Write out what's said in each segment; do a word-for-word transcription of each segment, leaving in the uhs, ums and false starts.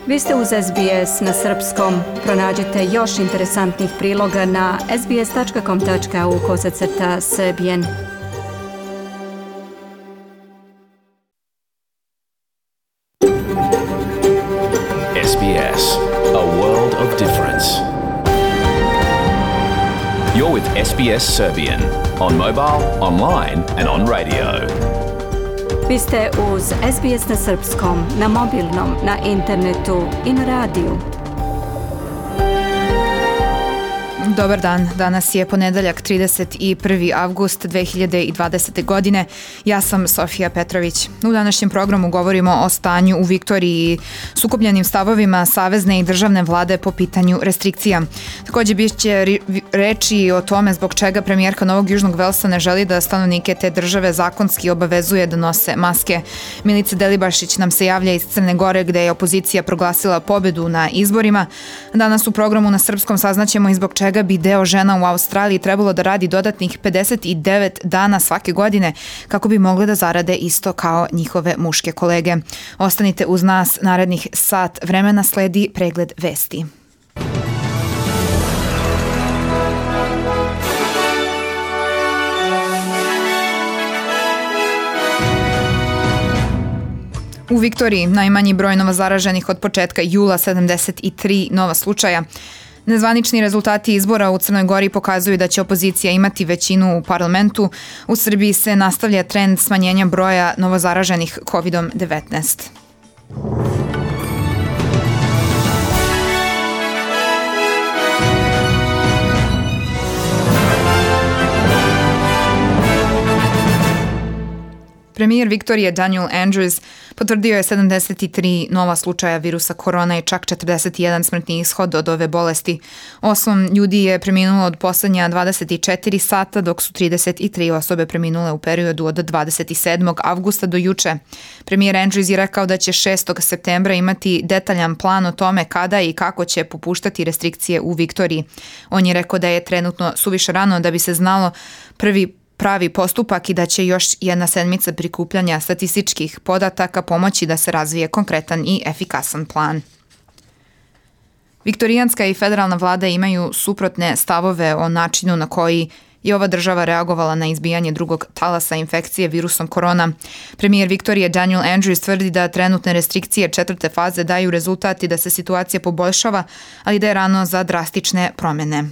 Vi ste uz S B S na srpskom. Pronađite još interesantnih priloga na sbs.com.au kosacrta srbijen. S B S, a world of difference. You're with S B S Serbian on mobile, online and on radio. Vi ste uz S B S na srpskom, na mobilnom, na internetu i na radiju. Dobar dan, danas je ponedeljak trideset prvi avgust dve hiljade dvadesete. godine. Ja sam Sofija Petrović. U današnjem programu govorimo o stanju u Viktoriji i sukobljenim stavovima savezne i državne vlade po pitanju restrikcija. Također bit će reči o tome zbog čega premijerka Novog Južnog Velsa ne želi da stanovnike te države zakonski obavezuje da nose maske. Milica Delibašić nam se javlja iz Crne Gore gde je opozicija proglasila pobedu na izborima. Danas u programu na srpskom saznaćemo i zbog čega bi deo žena u Australiji trebalo da radi dodatnih pedeset devet dana svake godine kako bi mogle da zarade isto kao njihove muške kolege. Ostanite uz nas, narednih sat vremena sledi pregled vesti. U Viktoriji najmanji broj novozaraženih od početka jula, sedamdeset tri nova slučaja. Nezvanični rezultati izbora u Crnoj Gori pokazuju da će opozicija imati većinu u parlamentu. U Srbiji se nastavlja trend smanjenja broja novozaraženih kovid devetnaest. Premijer Viktorije Daniel Andrews potvrdio je sedamdeset tri nova slučaja virusa korona i čak četrdeset jedan smrtni ishod od ove bolesti. Osam ljudi je preminulo od poslednja dvadeset četiri sata, dok su trideset tri osobe preminule u periodu od dvadeset sedmog avgusta do juče. Premijer Andrews je rekao da će šestog septembra imati detaljan plan o tome kada i kako će popuštati restrikcije u Viktoriji. On je rekao da je trenutno suviše rano da bi se znalo prvi pravi postupak i da će još jedna sedmica prikupljanja statističkih podataka pomoći da se razvije konkretan i efikasan plan. Viktorijanska i federalna vlada imaju suprotne stavove o načinu na koji je ova država reagovala na izbijanje drugog talasa infekcije virusom korona. Premijer Viktorije Daniel Andrews tvrdi da trenutne restrikcije četvrte faze daju rezultat i da se situacija poboljšava, ali da je rano za drastične promjene.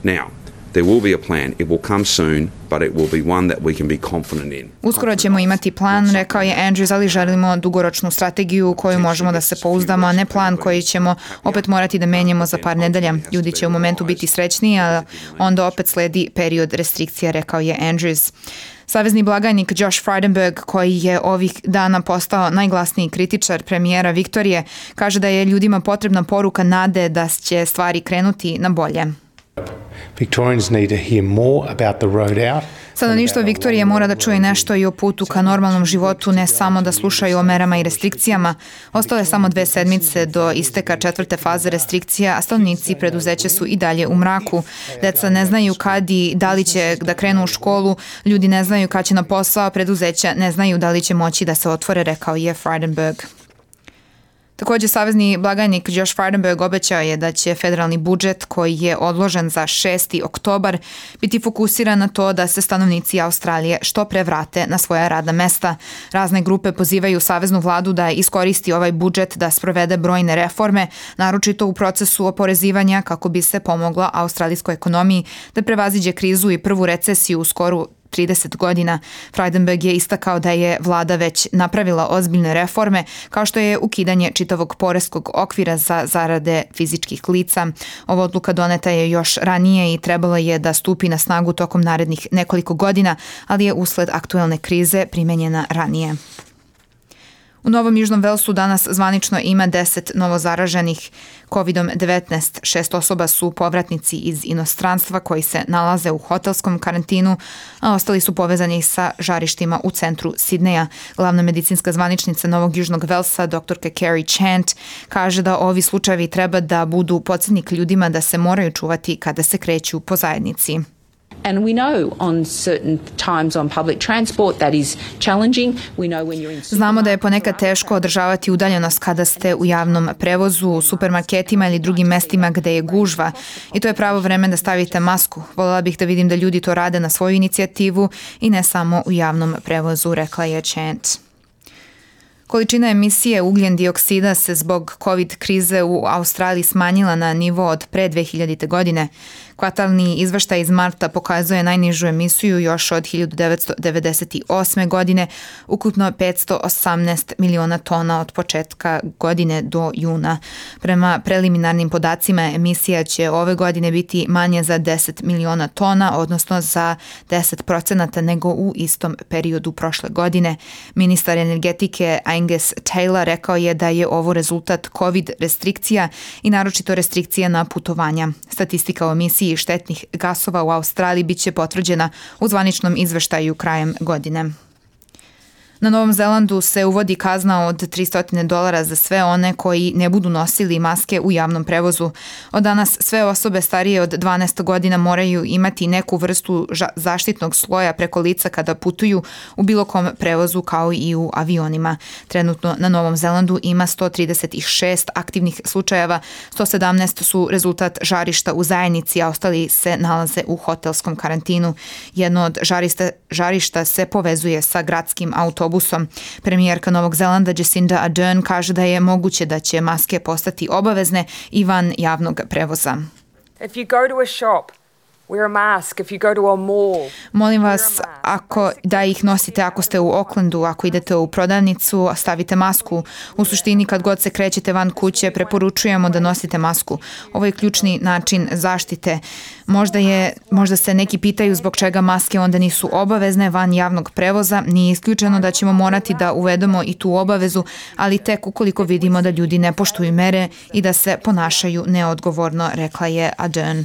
Now, there will be a plan. It will come soon, but it will be one that we can be confident in. Uskoro ćemo imati plan, rekao je Andrews, ali želimo dugoročnu strategiju u koju možemo da se pouzdamo, a ne plan koji ćemo opet morati da menjamo za par nedelja. Ljudi će u momentu biti srećniji, a onda opet sledi period restrikcija, rekao je Andrews. Savezni blagajnik Josh Frydenberg, koji je ovih dana postao najglasniji kritičar premijera Viktorije, kaže da je ljudima potrebna poruka nade da će stvari krenuti na bolje. Victorians need to hear more about the road out. Stanovništvo Viktorije mora da čuje nešto i o putu ka normalnom životu, ne samo da slušaju o merama i restrikcijama. Ostale samo dve sedmice do isteka četvrte faze restrikcija, a stanovnici preduzeća su i dalje u mraku. Deca ne znaju kad i da li će da krenu u školu, ljudi ne znaju kad će na posao, preduzeća ne znaju da li će moći da se otvore, rekao je Frydenberg. Također, savezni blagajnik Josh Frydenberg obećao je da će federalni budžet, koji je odložen za šesti oktobar, biti fokusiran na to da se stanovnici Australije što pre vrate na svoja radna mesta. Razne grupe pozivaju saveznu vladu da iskoristi ovaj budžet da sprovede brojne reforme, naročito u procesu oporezivanja kako bi se pomoglo australijskoj ekonomiji da prevaziđe krizu i prvu recesiju u skoru trideset godina. Frydenberg je istakao da je vlada već napravila ozbiljne reforme, kao što je ukidanje čitavog poreskog okvira za zarade fizičkih lica. Ova odluka doneta je još ranije i trebalo je da stupi na snagu tokom narednih nekoliko godina, ali je usled aktuelne krize primenjena ranije. U Novom Južnom Velsu danas zvanično ima deset novozaraženih kovid devetnaest. Šest osoba su povratnici iz inostranstva koji se nalaze u hotelskom karantinu, a ostali su povezani sa žarištima u centru Sidneja. Glavna medicinska zvaničnica Novog Južnog Velsa, doktorka Carrie Chant, kaže da ovi slučajevi treba da budu podsjetnik ljudima da se moraju čuvati kada se kreću po zajednici. And we know on certain times on public transport that is challenging. We know when you're in Znamo da je ponekad teško održavati udaljenost kada ste u javnom prevozu, u supermarketima ili drugim mestima gde je gužva i to je pravo vreme da stavite masku. Voljela bih da vidim da ljudi to rade na svoju inicijativu i ne samo u javnom prevozu, rekla je Chant. Količina emisije ugljen dioksida se zbog COVID krize u Australiji smanjila na nivo od pre dve hiljadite. godine. Kvartalni izveštaj iz marta pokazuje najnižu emisiju još od hiljadu devetsto devedeset osme. godine, ukupno petsto osamnaest miliona tona od početka godine do juna. Prema preliminarnim podacima emisija će ove godine biti manje za deset miliona tona, odnosno za deset procenata nego u istom periodu prošle godine. Ministar energetike Angus Taylor rekao je da je ovo rezultat COVID restrikcija i naročito restrikcija na putovanja. Statistika o emisiji štetnih gasova u Australiji biće potvrđena u zvaničnom izveštaju krajem godine. Na Novom Zelandu se uvodi kazna od tristo dolara za sve one koji ne budu nosili maske u javnom prevozu. Od danas sve osobe starije od dvanaest godina moraju imati neku vrstu zaštitnog sloja preko lica kada putuju u bilo kom prevozu kao i u avionima. Trenutno na Novom Zelandu ima sto trideset šest aktivnih slučajeva, sto sedamnaest su rezultat žarišta u zajednici, a ostali se nalaze u hotelskom karantinu. Jedno od žarišta, žarišta se povezuje sa gradskim autobusom. Premijerka Novog Zelanda Jacinda Ardern kaže da je moguće da će maske postati obavezne i van javnog prevoza. If you go to a shop, wear a mask. If you go to a mall, molim vas ako da ih nosite ako ste u Aucklandu, ako idete u prodavnicu, stavite masku. U suštini kad god se krećete van kuće, preporučujemo da nosite masku. Ovo je ključni način zaštite. Možda, je, možda se neki pitaju zbog čega maske onda nisu obavezne van javnog prevoza. Nije isključeno da ćemo morati da uvedemo i tu obavezu, ali tek ukoliko vidimo da ljudi ne poštuju mere i da se ponašaju neodgovorno, rekla je Ardern.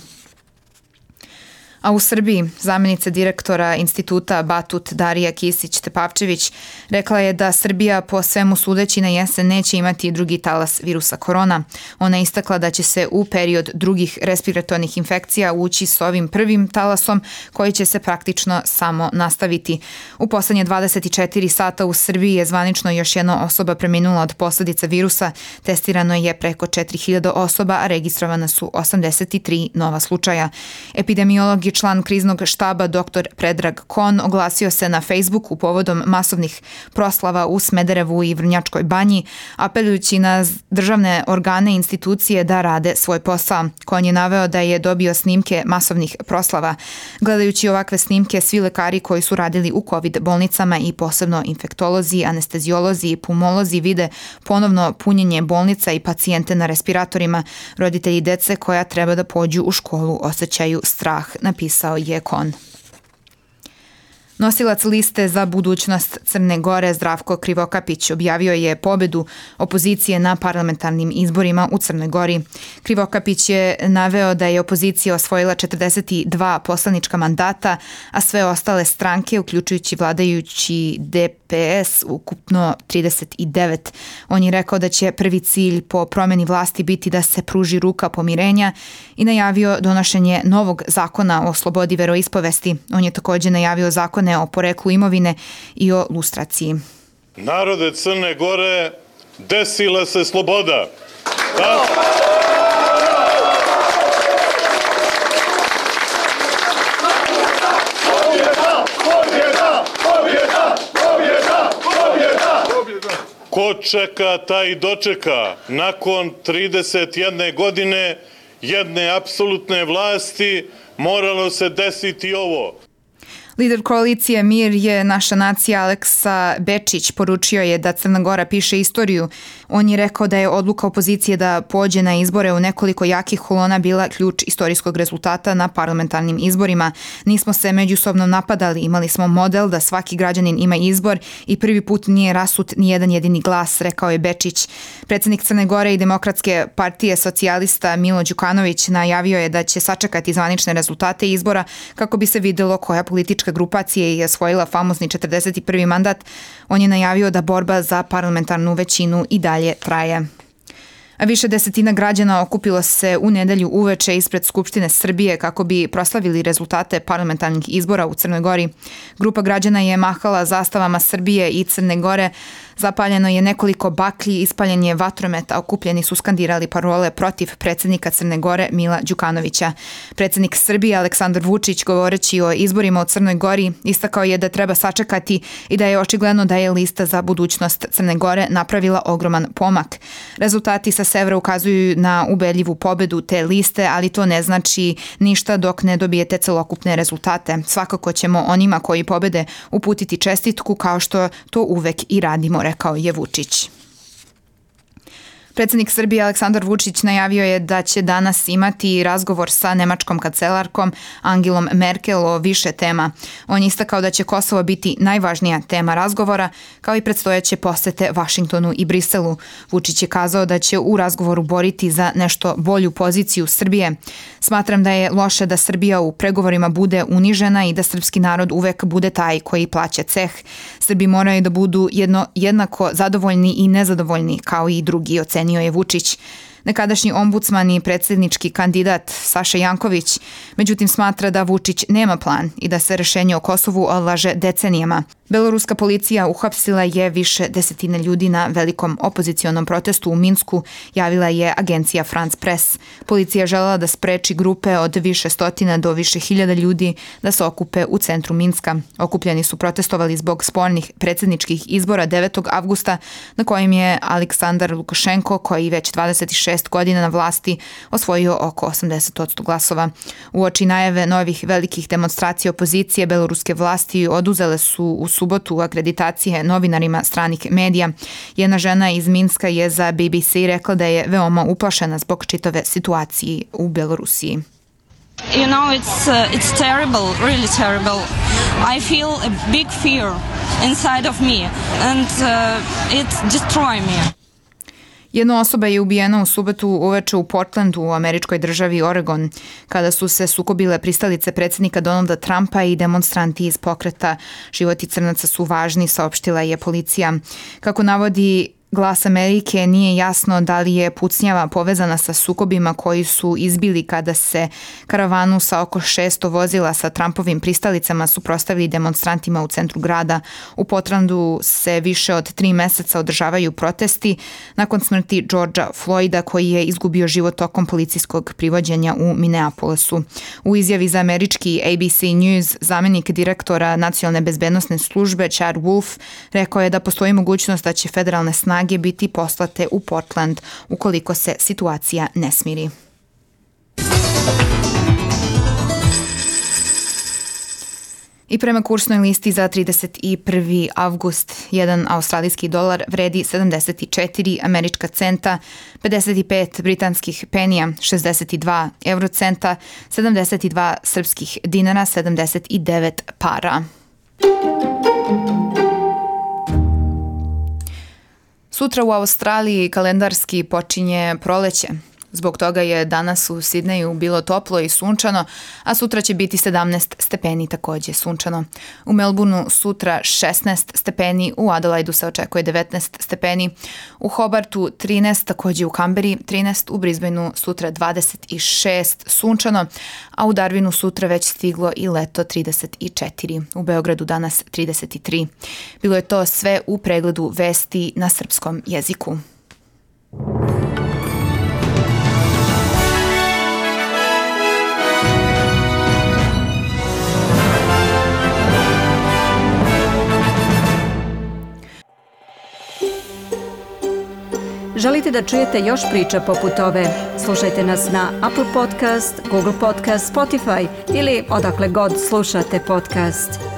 A u Srbiji zamjenica direktora instituta Batut Darija Kisić-Tepavčević rekla je da Srbija po svemu sudeći na jesen neće imati drugi talas virusa korona. Ona je istakla da će se u period drugih respiratornih infekcija ući s ovim prvim talasom koji će se praktično samo nastaviti. U poslednje dvadeset četiri sata u Srbiji je zvanično još jedna osoba preminula od posljedica virusa. Testirano je preko četiri hiljade osoba, a registrovana su osamdeset tri nova slučaja. Epidemiolog i član kriznog štaba doktor Predrag Kon oglasio se na Facebooku povodom masovnih proslava u Smederevu i Vrnjačkoj banji, apelujući na državne organe i institucije da rade svoj posao. Kon je naveo da je dobio snimke masovnih proslava. Gledajući ovakve snimke, svi lekari koji su radili u COVID bolnicama i posebno infektolozi, anesteziolozi i pulmolozi vide ponovno punjenje bolnica i pacijente na respiratorima. Roditelji dece koja treba da pođu u školu osjećaju strah, napisao je Kon. Nosilac liste za budućnost Crne Gore Zdravko Krivokapić objavio je pobedu opozicije na parlamentarnim izborima u Crnoj Gori. Krivokapić je naveo da je opozicija osvojila četrdeset dva poslanička mandata, a sve ostale stranke, uključujući vladajući D P S, ukupno trideset devet. On je rekao da će prvi cilj po promjeni vlasti biti da se pruži ruka pomirenja i najavio donošenje novog zakona o slobodi veroispovesti. On je također najavio zakone o poreklu imovine i o lustraciji. Narode Crne Gore, desila se sloboda. Da? Ko čeka, taj dočeka. Nakon trideset jedne godine jedne apsolutne vlasti moralo se desiti ovo. Lider koalicije Mir je naša nacija Aleksa Bečić poručio je da Crna Gora piše istoriju. On je rekao da je odluka opozicije da pođe na izbore u nekoliko jakih kolona bila ključ istorijskog rezultata na parlamentarnim izborima. Nismo se međusobno napadali, imali smo model da svaki građanin ima izbor i prvi put nije rasut ni jedan jedini glas, rekao je Bečić. Predsjednik Crne Gore i Demokratske partije socijalista Milo Đukanović najavio je da će sačekati zvanične rezultate izbora kako bi se videlo koja politička grupacija je osvojila famozni četrdeset prvi mandat. On je najavio da borba za parlamentarnu većinu i dalje traje. A više desetina građana okupilo se u nedelju uveče ispred Skupštine Srbije kako bi proslavili rezultate parlamentarnih izbora u Crnoj Gori. Grupa građana je mahala zastavama Srbije i Crne Gore, zapaljeno je nekoliko baklji, ispaljen je vatromet, a okupljeni su skandirali parole protiv predsjednika Crne Gore Mila Đukanovića. Predsjednik Srbije Aleksandar Vučić, govoreći o izborima u Crnoj Gori, istakao je da treba sačekati i da je očigledno da je lista za budućnost Crne Gore napravila ogroman pomak. Rezultati sa severa ukazuju na ubedljivu pobedu te liste, ali to ne znači ništa dok ne dobijete celokupne rezultate. Svakako ćemo onima koji pobede uputiti čestitku kao što to uvek i radimo, rekao je Vučić. Predsjednik Srbije Aleksandar Vučić najavio je da će danas imati razgovor sa nemačkom kancelarkom Angelom Merkel o više tema. On je istakao da će Kosovo biti najvažnija tema razgovora, kao i predstojeće posete Vašingtonu i Briselu. Vučić je kazao da će u razgovoru boriti za nešto bolju poziciju Srbije. Smatram da je loše da Srbija u pregovorima bude unižena i da srpski narod uvek bude taj koji plaća ceh. Srbi moraju da budu jedno, jednako zadovoljni i nezadovoljni kao i drugi, ocenio je Vučić. Nekadašnji ombudsman i predsjednički kandidat Saša Janković, međutim, smatra da Vučić nema plan i da se rešenje o Kosovu odlaže decenijama. Beloruska policija uhapsila je više desetine ljudi na velikom opozicionom protestu u Minsku, javila je agencija France Press. Policija želela da spreči grupe od više stotina do više hiljada ljudi da se okupe u centru Minska. Okupljeni su protestovali zbog spornih predsjedničkih izbora devetog avgusta, na kojim je Aleksandar Lukašenko, koji već dvadeset šest godina na vlasti, osvojio oko osamdeset posto glasova. Uoči najave novih velikih demonstracija opozicije, beloruske vlasti oduzele su u subotu akreditacije novinarima stranih medija. Jedna žena iz Minska je za B B C rekla da je veoma uplašena zbog čitave situacije u Belorusiji. You know, it's uh, it's terrible, really terrible. I feel a big fear inside of me and uh, it destroy me. Jedna osoba je ubijena u subotu uveče u Portlandu u američkoj državi Oregon, kada su se sukobile pristalice predsjednika Donalda Trumpa i demonstranti iz pokreta Životi crnaca su važni, saopštila je policija. Kako navodi Glas Amerike, nije jasno da li je pucnjava povezana sa sukobima koji su izbili kada se karavanu sa oko šesto vozila sa Trumpovim pristalicama suprotstavili demonstrantima u centru grada. U Portlandu se više od tri meseca održavaju protesti nakon smrti Georgea Floyda, koji je izgubio život tokom policijskog privođenja u Minneapolisu. U izjavi za američki A B C News zamjenik direktora nacionalne bezbednosne službe Chad Wolf rekao je da postoji mogućnost da će federalne snage biti poslate u Portland ukoliko se situacija ne smiri. I prema kursnoj listi za trideset prvi avgust, jedan australijski dolar vredi sedamdeset četiri američka centa, pedeset pet britanskih penija, šezdeset dva eurocenta, sedamdeset dva srpskih dinara, sedamdeset devet para. Sutra u Australiji kalendarski počinje proleće. Zbog toga je danas u Sidneju bilo toplo i sunčano, a sutra će biti sedamnaest stepeni, također sunčano. U Melbourneu sutra šesnaest stepeni, u Adelaidu se očekuje devetnaest stepeni, u Hobartu trinaest, također u Kamberi trinaest, u Brisbaneu sutra dvadeset šest sunčano, a u Darwinu sutra već stiglo i leto trideset četiri, u Beogradu danas trideset tri. Bilo je to sve u pregledu vesti na srpskom jeziku. Želite da čujete još priča poput ove? Slušajte nas na Apple Podcast, Google Podcast, Spotify ili odakle god slušate podcast.